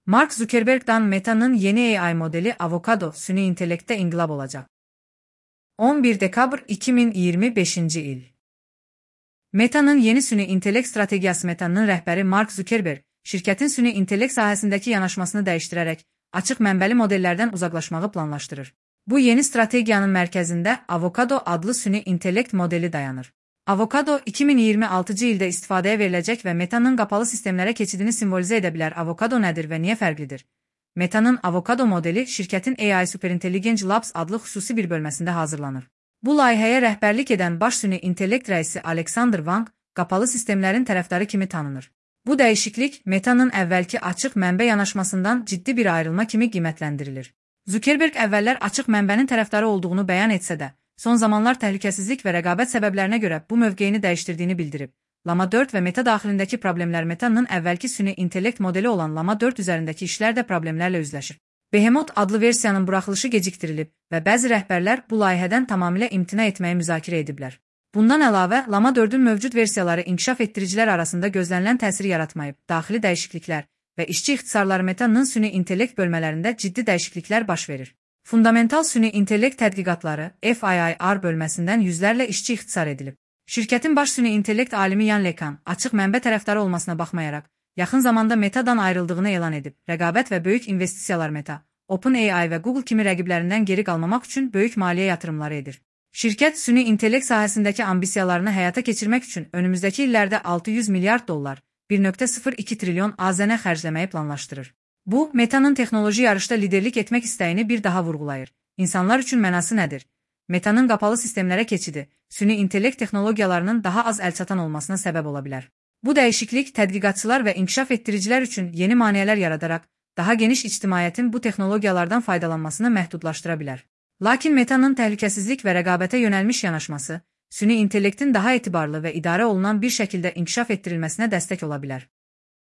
Mark Zuckerberg'dan Meta'nın yeni AI modeli Avocado süni intelekte inkılap olacak. 11 dekabr 2025 il. Meta'nın yeni süni intelekt stratejisi. Meta'nın rəhbəri Mark Zuckerberg, şirkətin süni intelekt sahəsindəki yanaşmasını dəyişdirərək açıq mənbəli modellərdən uzaqlaşmağı planlaşdırır. Bu yeni strategiyanın mərkəzində Avocado adlı süni intelekt modeli dayanır. Avocado 2026 ildə istifadəyə veriləcək və Meta'nın qapalı sistemlərə keçidini simvolizə edə bilər. Avocado nədir və niyə fərqlidir? Meta'nın Avocado modeli şirkətin AI Superintelligence Labs adlı xüsusi bir bölməsində hazırlanır. Bu layihəyə rəhbərlik edən baş süni intellekt rəisi Alexander Wang qapalı sistemlərin tərəfdarı kimi tanınır. Bu dəyişiklik Meta'nın əvvəlki açıq mənbə yanaşmasından ciddi bir ayrılma kimi qiymətləndirilir. Zuckerberg əvvəllər açıq mənbənin tərəfdarı olduğunu bəyan etsə də, son zamanlar təhlükəsizlik və rəqabət səbəblərinə görə bu mövqeyini dəyişdirdiyini bildirib. Llama 4 və Meta daxilindəki problemlər Meta'nın əvvəlki süni intellekt modeli olan Llama 4 üzərindəki işlər də problemlərlə üzləşir. Behemoth adlı versiyanın buraxılışı gecikdirilib və bəzi rəhbərlər bu layihədən tamamilə imtina etməyi müzakirə ediblər. Bundan əlavə, Llama 4-ün mövcud versiyaları inkişaf etdiricilər arasında gözlənilən təsiri yaratmayıb. Daxili dəyişikliklər və işçi ixtisarları Meta'nın süni intellekt bölmələrində ciddi dəyişikliklər baş verir. Fundamental süni intellekt tədqiqatları FIIR bölməsindən yüzlərlə işçi ixtisar edilib. Şirkətin baş süni intellekt alimi Yan LeCun açıq mənbə tərəfdarı olmasına baxmayaraq, yaxın zamanda Meta'dan ayrıldığını elan edib. Rəqabət və böyük investisiyalar Meta, OpenAI və Google kimi rəqiblərindən geri qalmamaq üçün böyük maliyyə yatırımları edir. Şirkət süni intellekt sahəsindəki ambisiyalarını həyata keçirmək üçün önümüzdəki illərdə 600 milyard dollar, 1,02 trilyon AZN xərcləməyi planlaşdırır. Bu, Meta'nın texnoloji yarışda liderlik etmək istəyini bir daha vurğulayır. İnsanlar üçün mənası nədir? Meta'nın qapalı sistemlərə keçidi, süni intellekt texnologiyalarının daha az əlçatan olmasına səbəb ola bilər. Bu dəyişiklik tədqiqatçılar və inkişaf etdiricilər üçün yeni maneələr yaradaraq, daha geniş ictimaiyyətin bu texnologiyalardan faydalanmasını məhdudlaşdıra bilər. Lakin Meta'nın təhlükəsizlik və rəqabətə yönəlmiş yanaşması, süni intellektin daha etibarlı və idarə olunan bir şəkildə inkişaf etdirilməsinə dəstək ola bilər.